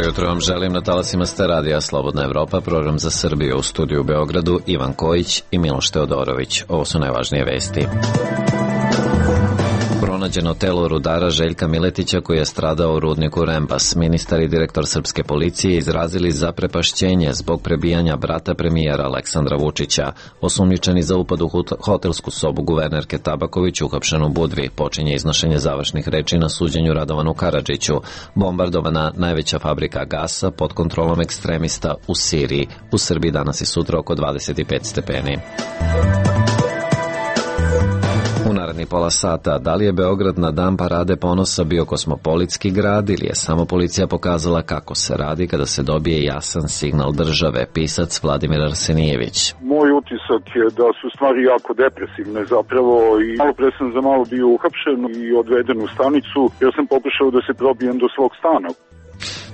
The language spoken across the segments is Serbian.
Jutro vam želim na talasima ste radija Slobodna Evropa, program za Srbiju, u studiju u Beogradu Ivan Kojić i Miloš Teodorović. Ovo su najvažnije vesti. Pronađeno telo rudara Željka Miletića koji je stradao u rudniku Rembas. Ministar i direktor srpske policije izrazili zaprepašćenje zbog prebijanja brata premijera Aleksandra Vučića. Osumnjičeni za upad u hotelsku sobu guvernerke Tabaković uhapšen u Budvi. Počinje iznošenje završnih reči na suđenju Radovanu Karadžiću. Bombardovana najveća fabrika gasa pod kontrolom ekstremista u Siriji. U Srbiji danas i sutra oko 25 stepeni. U naredni pola sata, da li je Beograd na dan parade ponosa bio kosmopolitski grad ili je samo policija pokazala kako se radi kada se dobije jasan signal države, pisac Vladimir Arsenijević. Moj utisak je da su stvari jako depresivne zapravo i malo pre sam za malo bio uhapšen i odveden u stanicu jer sam pokušao da se probijem do svog stana.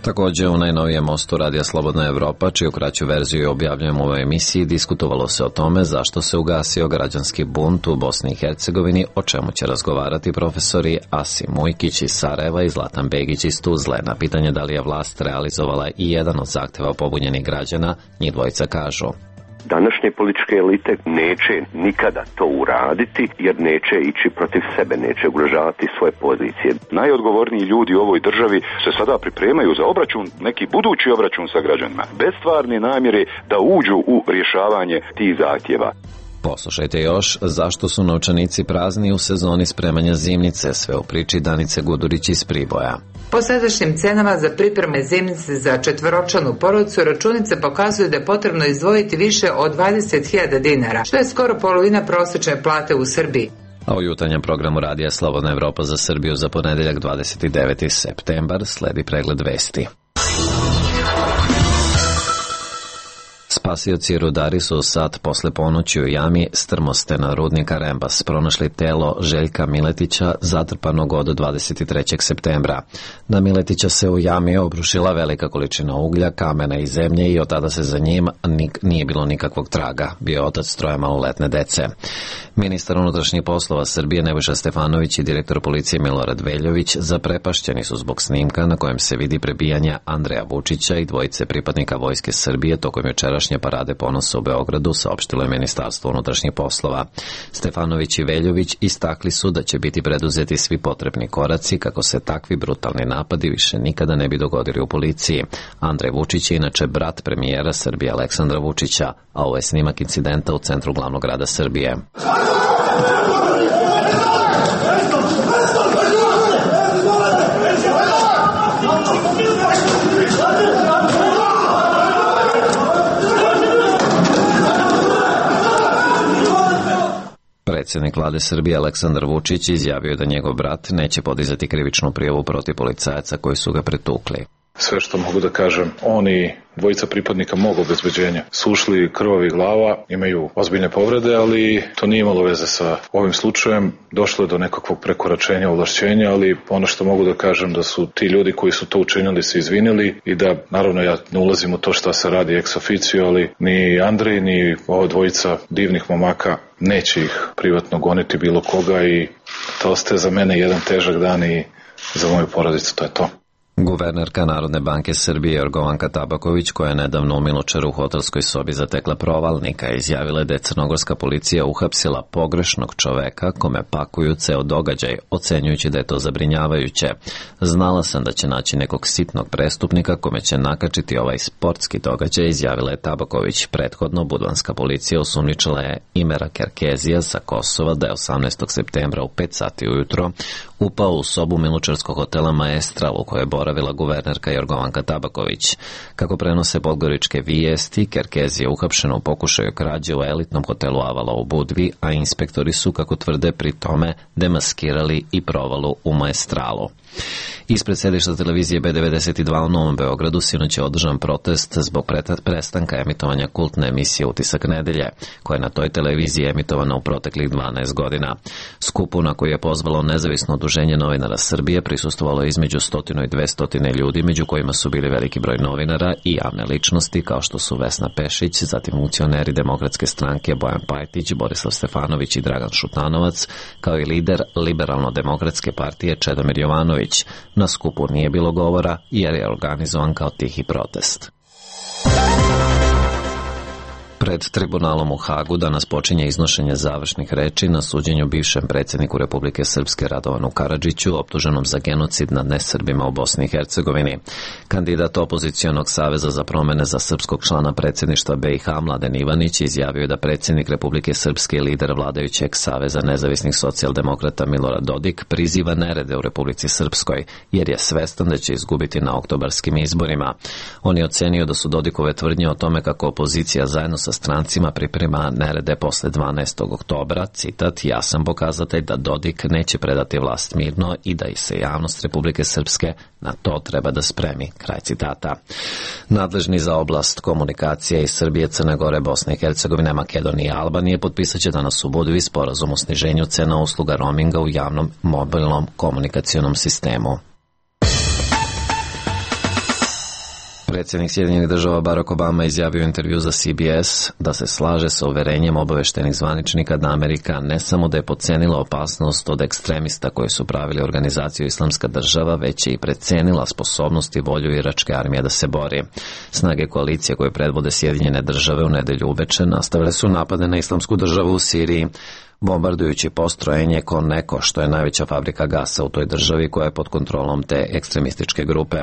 Također u najnovijem mostu Radija Slobodna Evropa, čiju kraću verziju objavljujemo u ovoj emisiji, diskutovalo se o tome zašto se ugasio građanski bunt u Bosni i Hercegovini, o čemu će razgovarati profesori Asim Mujkić iz Sarajeva i Zlatan Begić iz Tuzle. Na pitanje da li je vlast realizovala i jedan od zahteva pobunjenih građana, njih dvojica kažu: današnje političke elite neće nikada to uraditi jer neće ići protiv sebe, neće ugrožavati svoje pozicije. Najodgovorniji ljudi u ovoj državi se sada pripremaju za obračun, neki budući obračun sa građanima, bez stvarne namjere da uđu u rješavanje tih zahtjeva. Poslušajte još zašto su novčanici prazni u sezoni spremanja zimnice, sve u priči Danice Gudurić iz Priboja. Po sadašnjim cenama za pripreme zimnice za četvoročlanu porodicu, računice pokazuju da je potrebno izdvojiti više od 20.000 dinara, što je skoro polovina prosječne plate u Srbiji. A u jutarnjem programu Radija Slobodna Evropa za Srbiju za ponedeljak 29. septembar sledi pregled vesti. Spasioci i rudari su sad posle ponoći u jami strmostena rudnika Rembas pronašli telo Željka Miletića zatrpanog od 23. septembra. Na Miletića se u jami obrušila velika količina uglja, kamena i zemlje i od tada se za njim nije bilo nikakvog traga. Bio je otac troje maloletne dece. Ministar unutrašnjih poslova Srbije Nebojša Stefanović i direktor policije Milorad Veljović zaprepašćeni su zbog snimka na kojem se vidi prebijanja Andreja Vučića i dvojice pripadnika Vojske Srbije tokom jučerašnje parade ponosa u Beogradu, saopštilo je Ministarstvo unutrašnjih poslova. Stefanović i Veljović istakli su da će biti preduzeti svi potrebni koraci kako se takvi brutalni napadi više nikada ne bi dogodili u policiji. Andrej Vučić je inače brat premijera Srbije Aleksandra Vučića, a ovo je snimak incidenta u centru glavnog grada Srbije. Predsjednik vlade Srbije Aleksandar Vučić izjavio da njegov brat neće podizati krivičnu prijavu protiv policajaca koji su ga pretukli. Sve što mogu da kažem, oni dvojica pripadnika mog obezbeđenja su ušli krvavi glava, imaju ozbiljne povrede, ali to nije imalo veze sa ovim slučajem. Došlo je do nekakvog prekoračenja ovlašćenja, ali ono što mogu da kažem da su ti ljudi koji su to učinili se izvinili i da, naravno, ja ne ulazim u to šta se radi ex officio, ali ni Andrej, ni ova dvojica divnih momaka neće ih privatno goniti bilo koga i to ostaje za mene jedan težak dan i za moju porodicu, to je to. Guvernerka Narodne banke Srbije Jorgovanka Tabaković, koja je nedavno u Milučaru u hotelskoj sobi zatekla provalnika, izjavila da je crnogorska policija uhapsila pogrešnog čoveka kome pakuju ceo događaj, ocenjujući da je to zabrinjavajuće. Znala sam da će naći nekog sitnog prestupnika kome će nakačiti ovaj sportski događaj, izjavila je Tabaković. Prethodno budvanska policija osumnjičila je Imera Kerkezija sa Kosova da je 18. septembra u 5 sati ujutro upao u sobu milučarskog hotela Maestral u kojoj je boravila guvernerka Jorgovanka Tabaković. Kako prenose podgoričke vijesti, Kerkez je uhapšen u pokušaju krađe u elitnom hotelu Avala u Budvi, a inspektori su, kako tvrde, pri tome demaskirali i provalu u Maestralu. Ispred sedišta televizije B92 u Novom Beogradu sinoć je održan protest zbog prestanka emitovanja kultne emisije Utisak nedelje, koja je na toj televiziji emitovana u proteklih 12 godina. Skupu na koji je pozvalo Nezavisno udruženje novinara Srbije prisustvovalo između 100 i 200 200 ljudi, među kojima su bili veliki broj novinara i javne ličnosti kao što su Vesna Pešić, zatim funkcioneri Demokratske stranke Bojan Pajtić, Borislav Stefanović i Dragan Šutanovac, kao i lider Liberalno-demokratske partije Čedomir Jovanović. Na skupu nije bilo govora jer je organizovan kao tihi protest. Pred tribunalom u Hagu danas počinje iznošenje završnih reči na suđenju bivšem predsjedniku Republike Srpske Radovanu Karadžiću, optuženom za genocid nad nesrbima u Bosni i Hercegovini. Kandidat opozicionog saveza za promene za srpskog člana predsjedništva BiH Mladen Ivanić izjavio da predsjednik Republike Srpske i lider vladajućeg Saveza nezavisnih socijaldemokrata Milorad Dodik priziva nerede u Republici Srpskoj, jer je svestan da će izgubiti na oktobarskim izborima. On je ocenio da su Dodikove tvrdnje o tome kako opozicija zajedno sa strancima priprema nerede posle 12. oktobra, citat, jasan pokazatelj da Dodik neće predati vlast mirno i da i se javnost Republike Srpske na to treba da spremi, kraj citata. Nadležni za oblast komunikacije iz Srbije, Crne Gore, Bosne i Hercegovine, Makedonije i Albanije potpisat će danas u Budvi sporazum o sniženju cena usluga roaminga u javnom mobilnom komunikacionom sistemu. Predsjednik Sjedinjenih Država Barack Obama izjavio u intervju za CBS da se slaže sa uverenjem obaveštenih zvaničnika da Amerika ne samo da je podcenila opasnost od ekstremista koji su pravili organizaciju Islamska država, već je i precenila sposobnost i volju iračke armije da se bori. Snage koalicije koje predvode Sjedinjene Države u nedelju uveče nastavile su napade na Islamsku državu u Siriji, bombardujući postrojenje Koneko, što je najveća fabrika gasa u toj državi koja je pod kontrolom te ekstremističke grupe.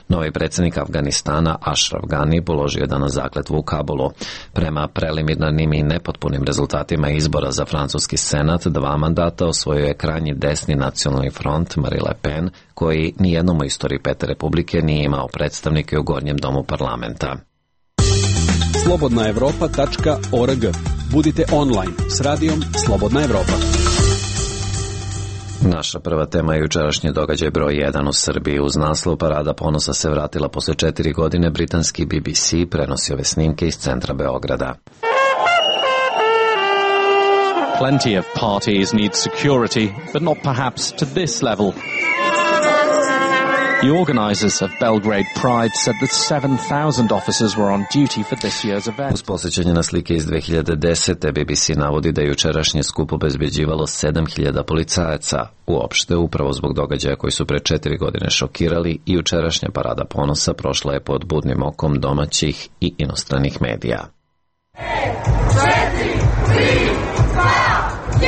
Novi predsjednik Afganistana Ashraf Ghani položio je danas zakletvu u Kabulu. Prema preliminarnim i nepotpunim rezultatima izbora za francuski senat, 2 mandata osvojio je krajnji desni nacionalni front Marine Le Pen, koji nijednom u istoriji Pete Republike nije imao predstavnike u gornjem domu parlamenta. slobodnaevropa.org. Budite online s radijom Slobodna Evropa. Naša prva tema je jučerašnji događaj broj 1 u Srbiji. Uz naslov Parada ponosa se vratila posle 4 godine, britanski BBC prenosi ove snimke iz centra Beograda. Plenty of parties need security, but not perhaps to this level. The organisers of Belgrade Pride said that 7,000 officers were on duty for this year's event. Uz posjećanje na slike iz 2010. BBC navodi da je jučerašnje skup obezbeđivalo 7.000 policajaca. Uopšte, upravo zbog događaja koji su pre 4 godine šokirali, i jučerašnja Parada ponosa prošla je pod budnim okom domaćih i inostranih medija. 5, 4, 3, 2, 1.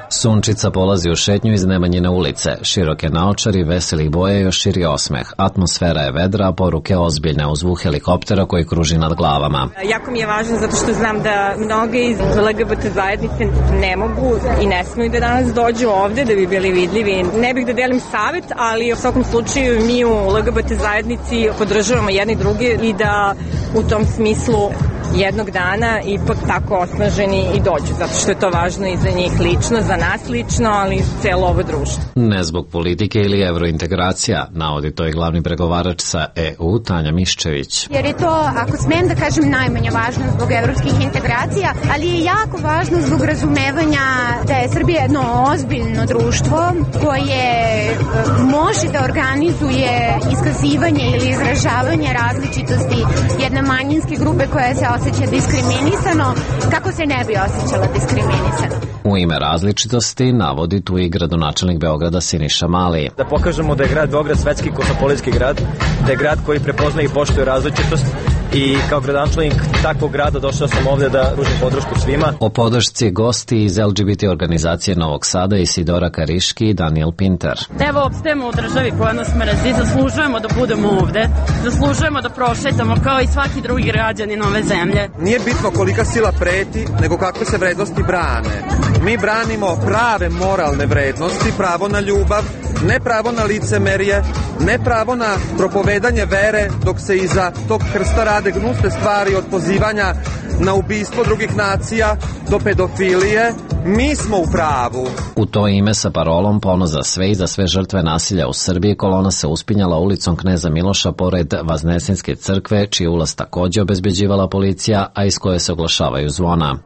Sunčica polazi u šetnju iz Nemanjine ulice. Široke naočari, veselih boja i još širi osmeh. Atmosfera je vedra, a poruke ozbiljne uz zvuk helikoptera koji kruži nad glavama. Jako mi je važno zato što znam da mnoge iz LGBT zajednice ne mogu i ne smiju da danas dođu ovde da bi bili vidljivi. Ne bih da delim savet, ali u svakom slučaju mi u LGBT zajednici podržavamo jedni druge i da u tom smislu jednog dana ipak tako osnaženi i dođu, zato što je to važno i za njih lično, za nas lično, ali i za celo ovo društvo. Ne zbog politike ili evrointegracija, navodi to i glavni pregovarač sa EU, Tanja Miščević. Jer je to, ako smem da kažem, najmanje važno zbog evropskih integracija, ali je jako važno zbog razumevanja da je Srbija jedno ozbiljno društvo koje može da organizuje iskazivanje ili izražavanje različitosti jedne manjinske grupe koja se osjeća diskriminisano, kako se ne bi osjećala diskriminisano. U ime različitosti navodi tu i gradonačelnik Beograda Siniša Mali. Da pokažemo da je grad Beograd svetski kosmopolitski grad, da je grad koji prepoznaje i poštuje različitost, i kao gradonačelnik takvog grada došao sam ovde da pružim podršku svima. O podršci gosti iz LGBT organizacije Novog Sada Isidora Kariški i Daniel Pinter. Evo, opstajemo u državi koja nas mrzi, zaslužujemo da budemo ovde, zaslužujemo da prošetamo kao i svaki drugi građanin ove zemlje. Nije bitno kolika sila preti, nego kakve se vrednosti brane. Mi branimo prave moralne vrednosti, pravo na ljubav, ne pravo na licemerje, ne pravo na propovedanje vere, dok se iza tog krsta rade gnusne stvari od pozivanja na ubistvo drugih nacija do pedofilije. Mi smo u pravu. U to ime sa parolom Ponos za sve i za sve žrtve nasilja u Srbiji kolona se uspinjala ulicom Kneza Miloša pored Vaznesinske crkve, čiji ulaz takođe obezbeđivala policija, a iz koje se oglašavaju zvona.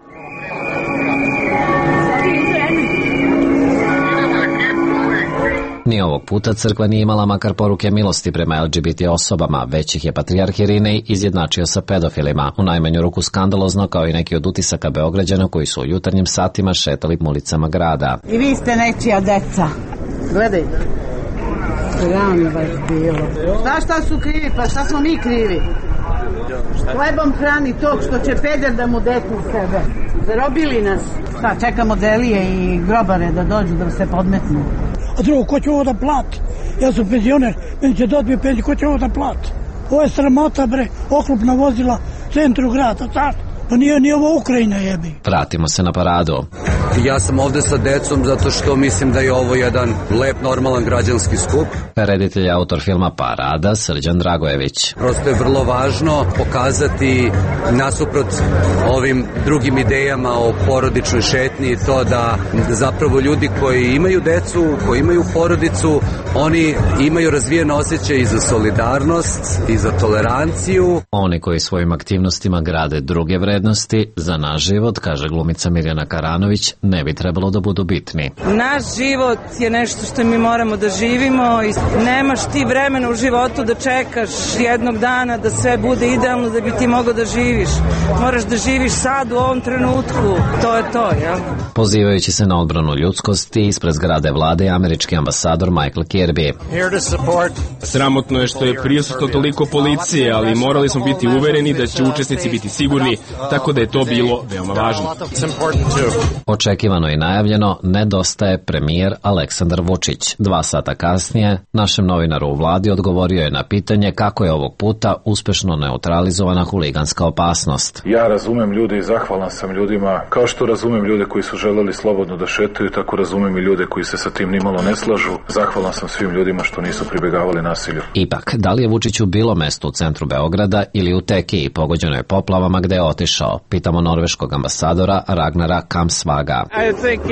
Ni ovog puta crkva nije imala makar poruke milosti prema LGBT osobama, već ih je patrijarh Irinej izjednačio sa pedofilima, u najmanju ruku skandalozno kao i neki od utisaka Beograđana koji su u jutarnjim satima šetali ulicama grada. I vi ste nečija deca. Gledajte. Ravno baš bilo. Šta su krivi? Pa šta smo mi krivi? Hlebom hrani tog što će peder da mu deknu sebe. Zarobili nas. Šta, čekamo delije i grobare da dođu da se podmetnu. A drugo, ko će ovo da plati? Ja sam penzioner, meni će dobije penziju, ko će ovo da plati? Ovo je sramota, bre, oklopna vozila centru grada, car. Pa nije ovo Ukrajina, jebi. Vratimo se na paradu. Ja sam ovde sa decom zato što mislim da je ovo jedan lep, normalan građanski skup. Reditelj je autor filma Parada, Srđan Dragojević. Prosto je vrlo važno pokazati nasuprot ovim drugim idejama o porodičnoj šetnji to da zapravo ljudi koji imaju decu, koji imaju porodicu, oni imaju razvijen osjećaj i za solidarnost i za toleranciju. Oni koji svojim aktivnostima grade druge vrednosti, za naš život, kaže glumica Mirjana Karanović, ne bi trebalo da budu bitni. Naš život je nešto što mi moramo da živimo i nemaš ti vremena u životu da čekaš jednog dana da sve bude idealno da bi ti mogao da živiš. Moraš da živiš sad u ovom trenutku. To je to, jel? Pozivajući se na odbranu ljudskosti, ispred zgrade vlade je američki ambasador Michael Kirby. Sramotno je što je prisutno toliko policije, ali morali smo biti uvereni da će učesnici biti sigurni, tako da je to bilo veoma važno. Očekivano i najavljeno, nedostaje premijer Aleksandar Vučić. 2 sata kasnije, našem novinaru u vladi odgovorio je na pitanje kako je ovog puta uspešno neutralizovana huliganska opasnost. Ja razumem ljude i zahvalan sam ljudima, kao što razumem ljude koji su želeli slobodno da šetaju, tako razumem i ljude koji se sa tim nimalo ne slažu. Zahvalan sam svim ljudima što nisu pribegavali nasilju. Ipak, da li je Vučiću bilo mesto u centru Beograda ili u Tekiji, pogođenoj poplavama gde je otišao? Pitamo norveškog ambasadora Ragnara Kamsvaga.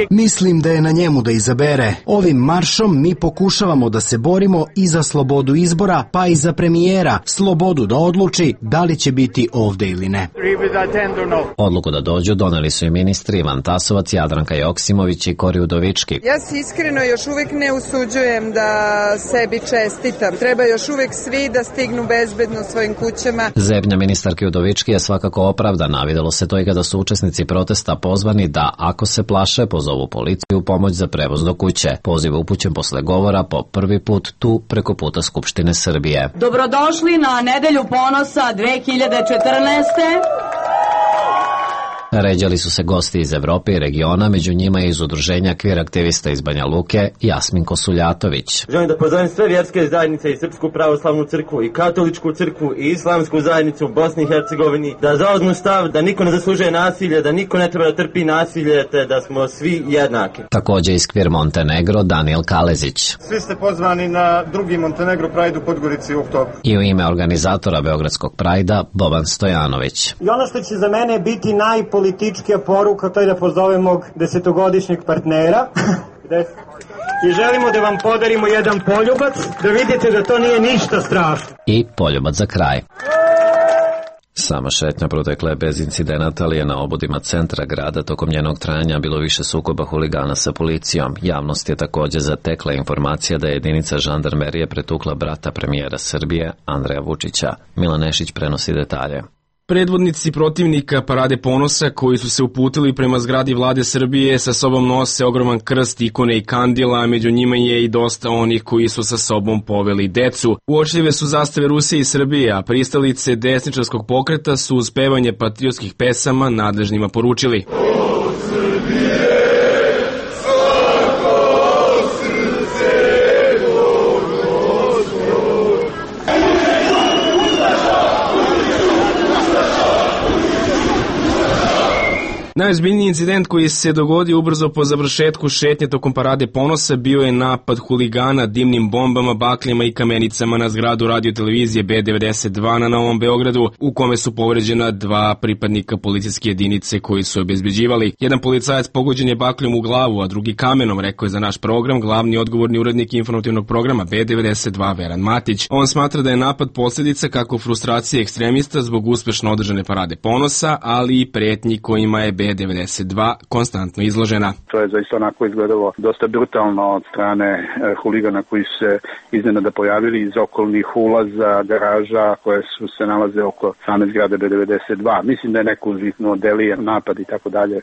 Mislim da je na njemu da izabere. Ovim maršom mi pokušavamo da se borimo i za slobodu izbora, pa i za premijera, slobodu da odluči da li će biti ovde ili ne. Odluku da dođu doneli su i ministri Ivan Tasovac, Jadranka Joksimović i Kori Udovički. Ja se iskreno još uvek ne usuđujem da sebi čestitam. Treba još uvek svi da stignu bezbedno svojim kućama. Zebnja ministarke Udovički je svakako opravdana. Videlo se to i kada su učesnici protesta pozvani da, ako se plaše, pozovu policiju u pomoć za prevoz do kuće. Poziv upućen posle govora po prvi put tu preko puta Skupštine Srbije. Dobrodošli na Nedelju ponosa 2014. Ređali su se gosti iz Evrope i regiona, među njima je iz udruženja kvir aktivista iz Banja Luke Jasmin Kosuljatović. Želim da pozovem sve vjerske zajednice i Srpsku pravoslavnu crkvu i Katoličku crkvu i Islamsku zajednicu u Bosni i Hercegovini da zauzmu stav da niko ne zaslužuje nasilje, da niko ne treba da trpi nasilje, te da smo svi jednaki. Takođe iz kvir Montenegro Daniel Kalezić. Svi ste pozvani na drugi Montenegro Pride u Podgorici u oktobru. I u ime organizatora Beogradskog Prajda Boban Stojanović. I ono što će za mene biti najpolitičkija poruka, to je da pozovem mog 10-godišnjeg partnera i želimo da vam podarimo jedan poljubac, da vidite da to nije ništa strašno. I poljubac za kraj. Sama šetnja protekla je bez incidenata, ali je na obodima centra grada tokom njenog trajanja bilo više sukoba huligana sa policijom. Javnost je takođe zatekla informacija da je jedinica žandarmerije pretukla brata premijera Srbije, Andreja Vučića. Milan Nešić prenosi detalje. Predvodnici protivnika Parade ponosa koji su se uputili prema zgradi vlade Srbije sa sobom nose ogroman krst, ikone i kandila, a među njima je i dosta onih koji su sa sobom poveli decu. Uočljive su zastave Rusije i Srbije, a pristalice desničarskog pokreta su uz pevanje patriotskih pesama nadležnima poručili: Najozbiljniji incident koji se dogodio ubrzo po završetku šetnje tokom Parade ponosa bio je napad huligana dimnim bombama, bakljama i kamenicama na zgradu radiotelevizije B92 na Novom Beogradu, u kome su povređena 2 pripadnika policijske jedinice koji su obezbeđivali. Jedan policajac pogođen je bakljom u glavu, a drugi kamenom, rekao je za naš program glavni odgovorni urednik informativnog programa B92 Veran Matić. On smatra da je napad posljedica kako frustracije ekstremista zbog uspešno održane Parade ponosa, ali i pretnji kojima je B92 konstantno izložena. To je zaista onako izgledalo dosta brutalno od strane huligana koji su se iznenada pojavili iz okolnih ulaza, garaža koje su se nalaze oko same zgrade B92. Mislim da je neko uzviknuo delije napad i tako dalje,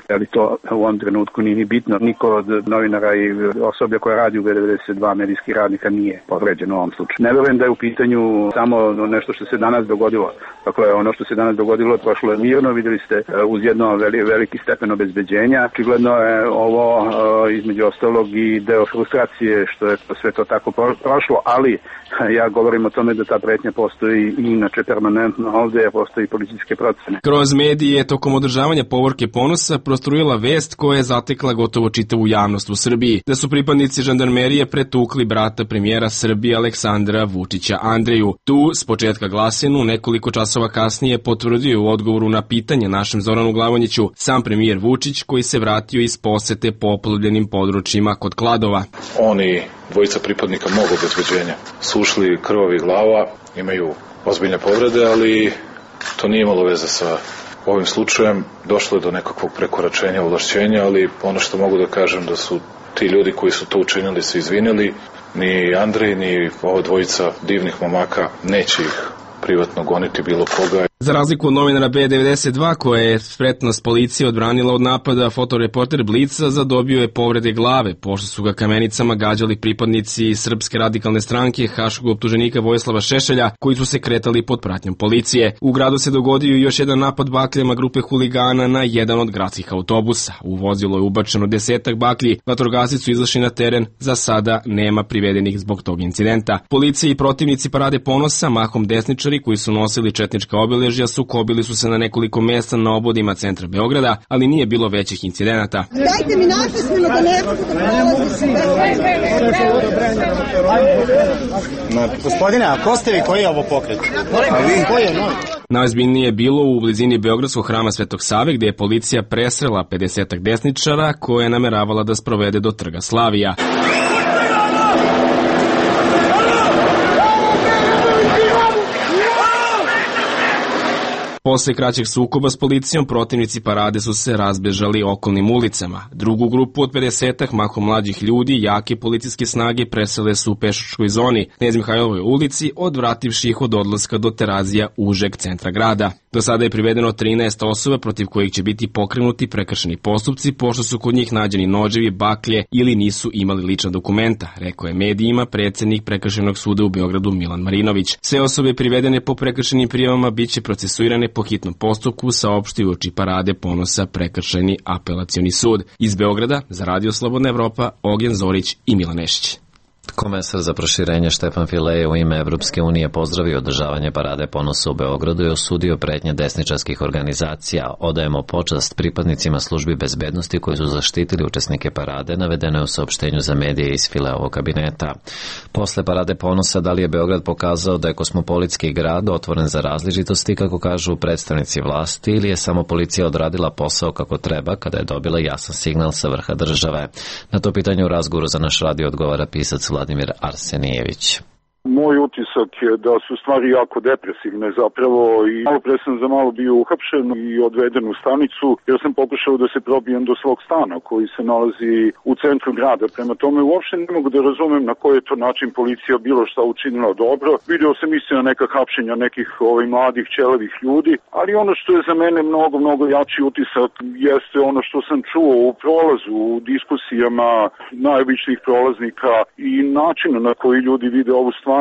ali to u ovom trenutku nije ni bitno. Niko od novinara i osoblja koja radi u B92 medijskih radnika nije povređen u ovom slučaju. Ne verujem da je u pitanju samo nešto što se danas dogodilo. Dakle, ono što se danas dogodilo prošlo je mirno, videli ste uz jedno veliki stepen obezbeđenja. Očigledno je ovo između ostalog i deo frustracije što je sve to tako prošlo, ali ja govorim o tome da ta pretnja postoji i inače permanentno ovde, jer postoji policijske procene. Kroz medije tokom održavanja Povorke Ponosa prostrujila vest koja je zatekla gotovo čitavu javnost u Srbiji, da su pripadnici žandarmerije pretukli brata premijera Srbije Aleksandra Vučića Andreju. Tu, s početka glasinu, nekoliko časova kasnije potvrdio u odgovoru na pitanje našem Zoranu Glavonjiću sam premijer Vučić koji se vratio iz posete poplavljenim područjima kod Kladova. Oni, dvojica pripadnika mog obezbeđenja, su ušli krvavih glava, imaju ozbiljne povrede, ali to nije imalo veze sa ovim slučajem. Došlo je do nekakvog prekoračenja ovlašćenja, ali ono što mogu da kažem da su ti ljudi koji su to učinili se izvinili. Ni Andrej, ni ova dvojica divnih momaka neće ih privatno goniti bilo koga. Za razliku od novinara B92 koja je spretnost policije odbranila od napada, fotoreporter Blica zadobio je povrede glave, pošto su ga kamenicama gađali pripadnici Srpske radikalne stranke haškog optuženika Vojislava Šešelja, koji su se kretali pod pratnjom policije. U gradu se dogodio još jedan napad bakljama grupe huligana na jedan od gradskih autobusa. U vozilo je ubačeno 10 baklji, vatrogasci su izašli na teren, za sada nema privedenih zbog tog incidenta. Policija i protivnici Parade Ponosa, mahom desničari koji su nosili četnička obeležja, sukobili su se na nekoliko mesta na obodima centra Beograda, ali nije bilo većih incidenata. Dajte mi napismeno da ne mogu. Gospodine, a ko ste vi? Koji je ovo pokret? A vi? Koji je novi? Najozbiljnije je bilo u blizini Beogradskog hrama Svetog Save, gde je policija presrela 50 desničara koje je nameravala da sprovede do Trga Slavija. Posle kraćeg sukoba s policijom, protivnici Parade su se razbežali okolnim ulicama. Drugu grupu od 50 mahom mlađih ljudi, jake policijske snage presele su u pešačkoj zoni, Knez Mihajlovoj ulici, odvrativši ih od odlaska do Terazija užeg centra grada. Do sada je privedeno 13 osoba protiv kojih će biti pokrenuti prekršeni postupci, pošto su kod njih nađeni noževi, baklje ili nisu imali lična dokumenta, rekao je medijima predsjednik Prekršajnog suda u Beogradu Milan Marinović. Sve osobe privedene po prekršajnim prijavama biće procesuirane po hitnom postupku, saopštio uoči Parade Ponosa Prekršajni apelacioni sud. Iz Beograda za Radio Slobodna Evropa Ognjen Zorić i Milan Nešić. Komesar za proširenje Štefan File u ime Evropske unije pozdravio održavanje Parade Ponosa u Beogradu i osudio pretnje desničarskih organizacija. Odajemo počast pripadnicima službi bezbednosti koji su zaštitili učesnike parade, navedeno je u saopštenju za medije iz Fileovog kabineta. Posle Parade Ponosa, da li je Beograd pokazao da je kosmopolitski grad otvoren za različitosti, kako kažu predstavnici vlasti, ili je samo policija odradila posao kako treba kada je dobila jasan signal sa vrha države? Na to pitanje u razgovoru za naš radio odgovara pisac Vladimir Arsenijević. Moj utisak je da su stvari jako depresivne zapravo i malo pre sam za malo bio uhapšen i odveden u stanicu jer sam pokušao da se probijem do svog stana koji se nalazi u centru grada. Prema tome uopšte ne mogu da razumem na koji je to način policija bilo šta učinila dobro. Video sam istina neka hapšenja nekih mladih ćelevih ljudi, ali ono što je za mene mnogo jači utisak jeste ono što sam čuo u prolazu, u diskusijama najobičnijih prolaznika i načinu na koji ljudi vide ovu stvar.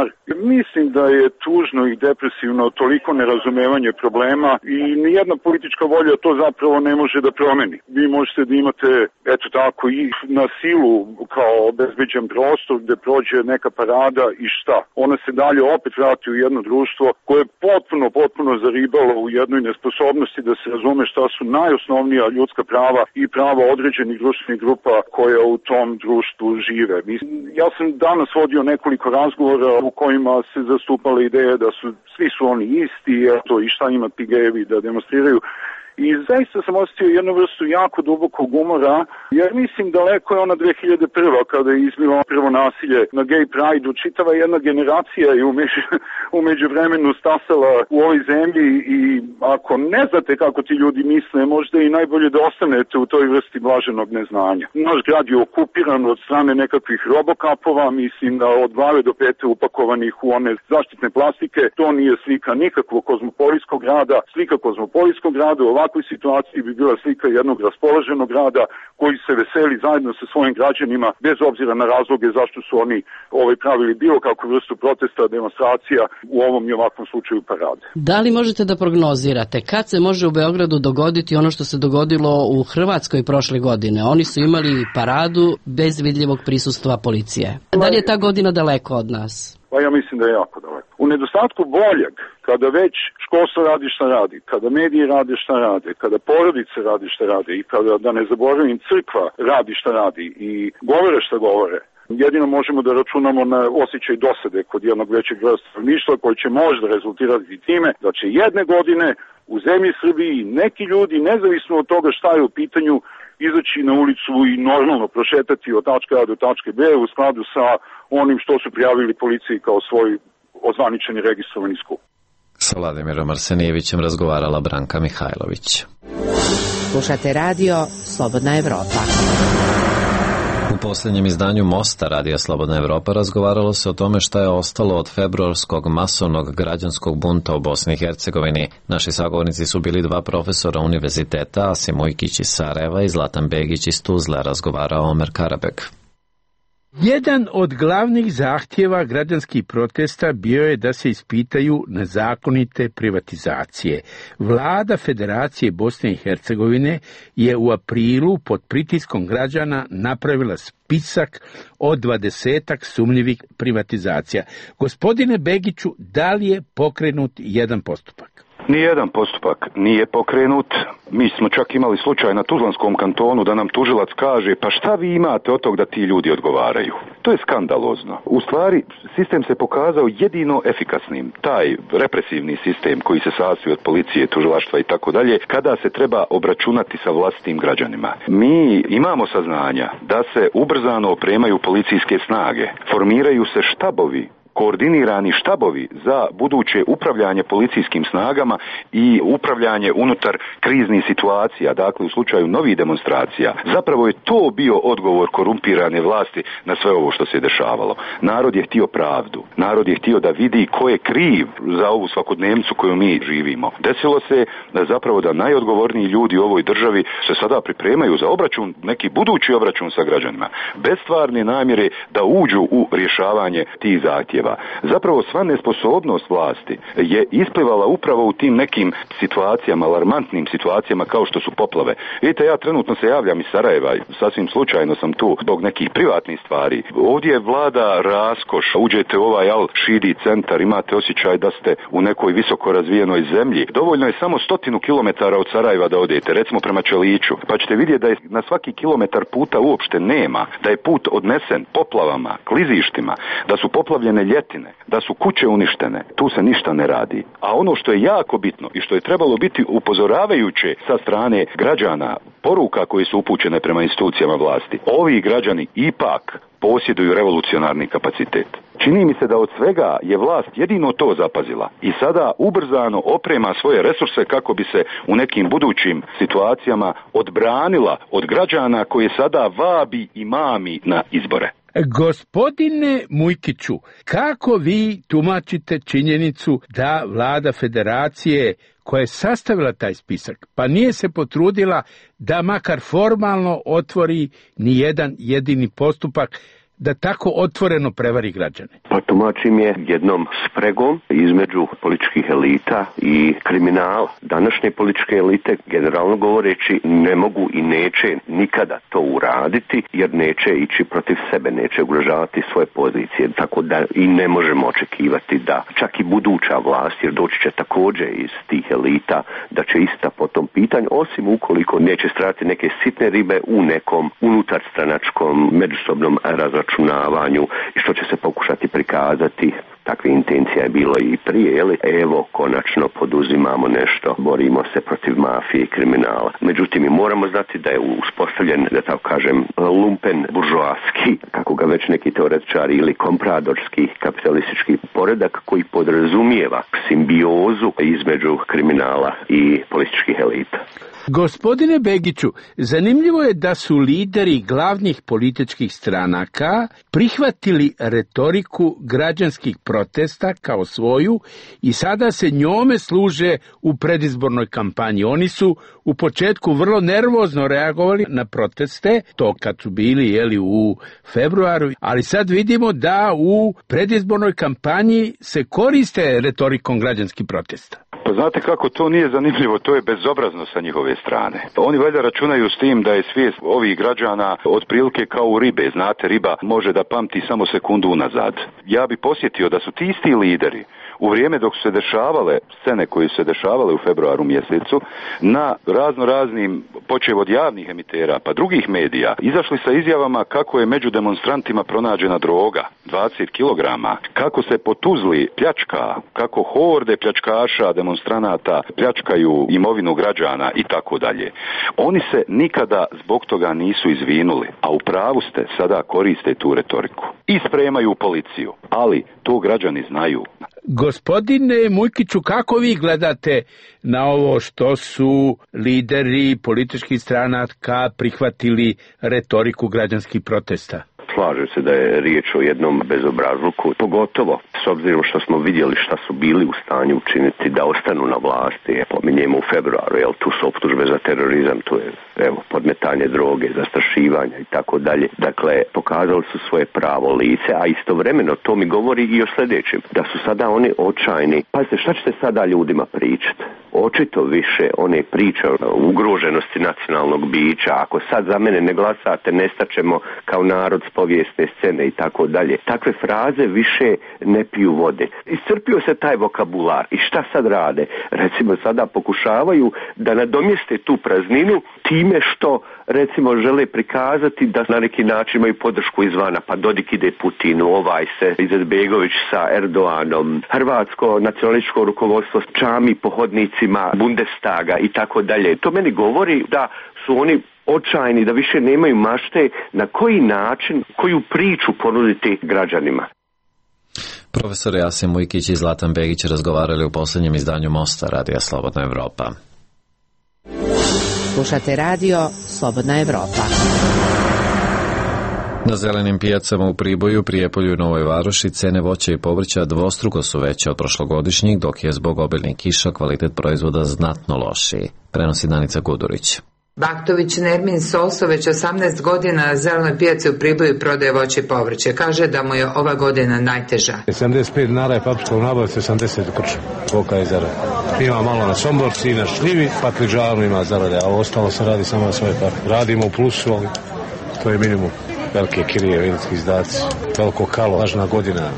Mislim da je tužno i depresivno toliko nerazumevanje problema i nijedna politička volja to zapravo ne može da promeni. Vi možete da imate, eto tako, i na silu kao obezbeđen prostor gde prođe neka parada i šta? Ona se dalje opet vrati u jedno društvo koje je potpuno zaribalo u jednoj nesposobnosti da se razume šta su najosnovnija ljudska prava i prava određenih društvenih grupa koja u tom društvu žive. Ja sam danas vodio nekoliko razgovora u kojima se zastupala ideja da svi su oni isti, eto i šta ima ti gejevi da demonstriraju. i zaista sam osjetio jednu vrstu jako dubokog umora, jer mislim daleko je ona 2001. kada je izbilo prvo nasilje na Gay Pride-u, čitava jedna generacija je u međuvremenu stasala u ovoj zemlji i ako ne znate kako ti ljudi misle, možda i najbolje da ostanete u toj vrsti blaženog neznanja. Naš grad je okupiran od strane nekakvih robokapova, mislim da od glave do pete upakovanih u one zaštitne plastike. To nije slika nikakvog kozmopolitskog grada. Slika kozmopolitskog grada u ovakvoj situaciji bi bila slika jednog raspoloženog grada koji se veseli zajedno sa svojim građanima bez obzira na razloge zašto su oni pravili bilo kakvu vrstu protesta, demonstracija, u ovom i ovakvom slučaju parade. Da li možete da prognozirate kad se može u Beogradu dogoditi ono što se dogodilo u Hrvatskoj prošle godine? Oni su imali paradu bez vidljivog prisustva policije. Da li je ta godina daleko od nas? Pa ja mislim da je jako daleko. U nedostatku boljeg, kada već školstvo radi šta radi, kada mediji rade šta rade, kada porodice radi šta rade i kada, da ne zaboravim, crkva radi šta radi i govore šta govore, jedino možemo da računamo na osjećaj dosade kod jednog većeg broja stanovništva koji će možda rezultirati time da će jedne godine u zemlji Srbiji neki ljudi, nezavisno od toga šta je u pitanju, izaći na ulicu i normalno prošetati od tačke A do tačke B u skladu sa onim što su prijavili policiji kao svoj ozvaničeni registrovani skup. Sa Vladimirom Arsenijevićem razgovarala Branka Mihajlović. Slušate radio Slobodna Evropa. U posljednjem izdanju Mosta Radija Slobodna Evropa razgovaralo se o tome šta je ostalo od februarskog masovnog građanskog bunta u Bosni i Hercegovini. Naši sagovornici su bili dva profesora univerziteta, Asim Ujkić iz Sarajeva i Zlatan Begić iz Tuzle, razgovarao Omer Karabek. Jedan od glavnih zahtjeva građanskih protesta bio je da se ispitaju nezakonite privatizacije. Vlada Federacije Bosne i Hercegovine je u aprilu pod pritiskom građana napravila spisak od 20 sumnjivih privatizacija. Gospodine Begiću, da li je pokrenut jedan postupak? Nijedan postupak nije pokrenut. Mi smo čak imali slučaj na Tuzlanskom kantonu da nam tužilac kaže pa šta vi imate od tog da ti ljudi odgovaraju. To je skandalozno. U stvari, sistem se pokazao jedino efikasnim. Taj represivni sistem koji se sastoji od policije, tužilaštva i tako dalje, kada se treba obračunati sa vlastitim građanima. Mi imamo saznanja da se ubrzano opremaju policijske snage, formiraju se štabovi, koordinirani štabovi za buduće upravljanje policijskim snagama i upravljanje unutar kriznih situacija, dakle u slučaju novih demonstracija. Zapravo je to bio odgovor korumpirane vlasti na sve ovo što se dešavalo. Narod je htio pravdu. Narod je htio da vidi ko je kriv za ovu svakodnevnicu koju mi živimo. Desilo se zapravo da najodgovorniji ljudi u ovoj državi se sada pripremaju za obračun, neki budući obračun sa građanima, bez stvarne namjere da uđu u rješavanje tih zahtjeva. Zapravo sva nesposobnost vlasti je isplivala upravo u tim nekim situacijama, alarmantnim situacijama kao što su poplave. Vidite, ja trenutno se javljam iz Sarajeva, sasvim slučajno sam tu zbog nekih privatnih stvari. Ovdje vlada raskoš, uđete u ovaj Al-Šidi centar, imate osjećaj da ste u nekoj visoko razvijenoj zemlji. Dovoljno je samo 100 kilometara od Sarajeva da odete, recimo prema Čeliću, pa ćete vidjeti da je na svaki kilometar puta uopšte nema, da je put odnesen poplavama, klizištima, da su poplavljene ljetine, da su kuće uništene. Tu se ništa ne radi. A ono što je jako bitno i što je trebalo biti upozoravajuće sa strane građana, poruka koje su upućene prema institucijama vlasti, ovi građani ipak posjeduju revolucionarni kapacitet. Čini mi se da od svega je vlast jedino to zapazila i sada ubrzano oprema svoje resurse kako bi se u nekim budućim situacijama odbranila od građana koje sada vabi i mami na izbore. Gospodine Mujkiću, kako vi tumačite činjenicu da vlada Federacije koja je sastavila taj spisak, pa nije se potrudila da makar formalno otvori ni jedan jedini postupak, da tako otvoreno prevari građane? Pa tumačim je jednom spregom između političkih elita i kriminala. Današnje političke elite, generalno govoreći, ne mogu i neće nikada to uraditi, jer neće ići protiv sebe, neće ugrožavati svoje pozicije, tako da i ne možemo očekivati da čak i buduća vlast, jer doći će također iz tih elita, da će ista po tom pitanju, osim ukoliko neće strati neke sitne ribe u nekom unutarstranačkom međusobnom razračunavanju i što će se pokušati prikazati takve intencija je bilo i prije, evo konačno poduzimamo nešto, borimo se protiv mafije i kriminala. Međutim, mi moramo znati da je uspostavljen, da tako kažem, lumpen buržoaski, kako ga već neki teoretičari, ili kompradorski kapitalistički poredak koji podrazumijeva simbiozu između kriminala i političkih elita. Gospodine Begiću, zanimljivo je da su lideri glavnih političkih stranaka prihvatili retoriku građanskih protesta kao svoju i sada se njome služe u predizbornoj kampanji. Oni su u početku vrlo nervozno reagovali na proteste, to kad su bili u februaru, ali sad vidimo da u predizbornoj kampanji se koriste retorikom građanskih protesta. Pa znate kako, to nije zanimljivo, to je bezobrazno sa njihove strane. Oni valjda računaju s tim da je svijest ovih građana otprilike kao u ribe. Znate, riba može da pamti samo sekundu unazad. Ja bi posjetio da su ti isti lideri u vrijeme dok su se dešavale scene koje su se dešavale u februaru mjesecu na raznim, počev od javnih emitera pa drugih medija, izašli sa izjavama kako je među demonstrantima pronađena droga, 20 kilograma, kako se po Tuzli pljačka, kako horde pljačkaša, demonstranata pljačkaju imovinu građana i tako dalje. Oni se nikada zbog toga nisu izvinuli, a u pravu ste, sada koriste tu retoriku i spremaju policiju, ali to građani znaju. Gospodine Mujkiću, kako vi gledate na ovo što su lideri političkih stranaka prihvatili retoriku građanskih protesta? Slažem se da je riječ o jednom bezobrazluku, pogotovo s obzirom što smo vidjeli šta su bili u stanju učiniti da ostanu na vlasti. Pominjemo u februaru, tu su optužbe za terorizam, tu je podmetanje droge, zastrašivanja i tako dalje. Dakle, pokazali su svoje pravo lice, a istovremeno to mi govori i o sljedećem, da su sada oni očajni. Pazite, šta ćete sada ljudima pričati? Očito više one priče o ugroženosti nacionalnog bića, ako sad za mene ne glasate, nestaćemo kao narod s povijesne scene i tako dalje. Takve fraze više ne piju vode. Iscrpio se taj vokabular i šta sad rade? Recimo sada pokušavaju da nadomjeste tu prazninu time što recimo žele prikazati da na neki način imaju podršku izvana, pa Dodik ide Putinu, ovaj se Izetbegović sa Erdoganom, hrvatsko nacionalističko rukovodstvo čami po hodnicima Bundestaga i tako dalje. To meni govori da su oni očajni, da više nemaju mašte na koji način, koju priču ponuditi građanima. Profesor Jasen Mujkić i Zlatan Begić razgovarali u posljednjem izdanju Mosta Radija Slobodna Evropa. Slušate radio Slobodna Evropa. Na zelenim pijacama u Priboju, Prijepolju i Novoj Varoši cene voća i povrća dvostruko su veće od prošlogodišnjih, dok je zbog obilnih kiša kvalitet proizvoda znatno lošiji, prenosi Danica Gudurić. Baktović Nermin Soso već 18 godina na zelenoj pijaci u Priboju prodaje voće i povrće. Kaže da mu je ova godina najteža. 75 dinara je paprika u nabavci, 80 u krču. Kolika je zarada? Ima malo na somborci i na šljivi, pakliđanu ima zarade, a ostalo se radi samo na svoje pare. Radimo u plusu, ali to je minimum. Velike kirije, veliki izdaci, veliko kalo, važna godina,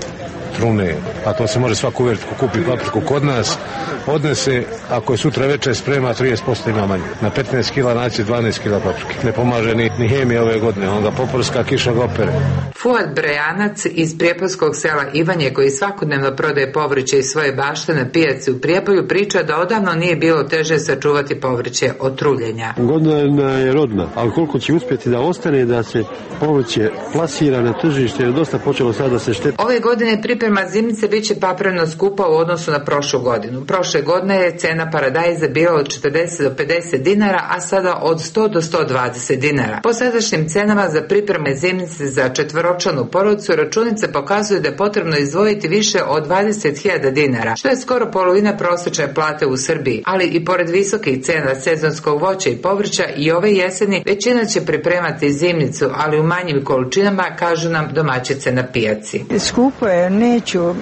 trune, a to se može svako uvjeriti ko kupi papriku kod nas, odnese, ako je sutra večer sprema, 30% ima manje. Na 15 kila naći 12 kila paprike. Ne pomaže ni hemija ove godine, on ga poprska, kiša ga opere. Fuad Brejanac iz prijepolskog sela Ivanje, koji svakodnevno prodaje povrće iz svoje bašte na pijaci u Prijepolju, priča da odavno nije bilo teže sačuvati povrće od truljenja. Godina je rodna, ali koliko će uspjeti da ostane, da se povrće plasira na tržište, je dosta počelo sada da se šteti. Ove godine priprema zimnice bit će papreno skupa u odnosu na prošlu godinu. Prošle godine je cena paradajza bila od 40 do 50 dinara, a sada od 100 do 120 dinara. Po sadašnjim cenama za pripreme zimnice za četvoročlanu porodicu računica pokazuje da je potrebno izdvojiti više od 20.000 dinara, što je skoro polovina prosječne plate u Srbiji. Ali i pored visokih cena sezonskog voća i povrća i ove jeseni većina će pripremati zimnicu, ali u manjim količinama, kažu nam domaćice na pijaci. Skupo je, neću,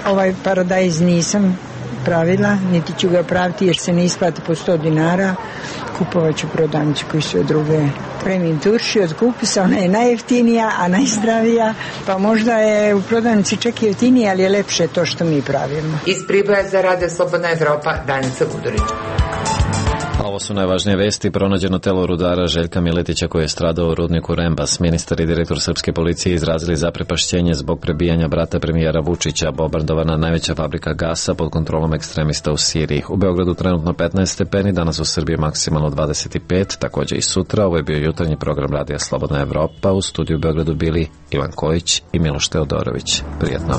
ovaj paradajz nisam pravila, niti ću ga praviti jer se ne isplati po 100 dinara. Kupovat ću prodavnicu koji sve druge. Premium turši od kupisa, ona je najjeftinija, a najzdravija, pa možda je u prodavnici čak i jeftinija, ali je lepše to što mi pravimo. Iz Priboja za Radio Slobodna Evropa, Danica Gudurić. Ovo su najvažnije vesti. Pronađeno telo rudara Željka Miletića koji je stradao u rudniku Rembas. Ministar i direktor srpske policije izrazili zaprepašćenje zbog prebijanja brata premijera Vučića. Bombardovana najveća fabrika gasa pod kontrolom ekstremista u Siriji. U Beogradu trenutno 15 stepeni, danas u Srbiji maksimalno 25, također i sutra. Ovo je bio jutarnji program Radija Slobodna Evropa. U studiju u Beogradu bili Ivan Kojić i Miloš Teodorović. Prijetno.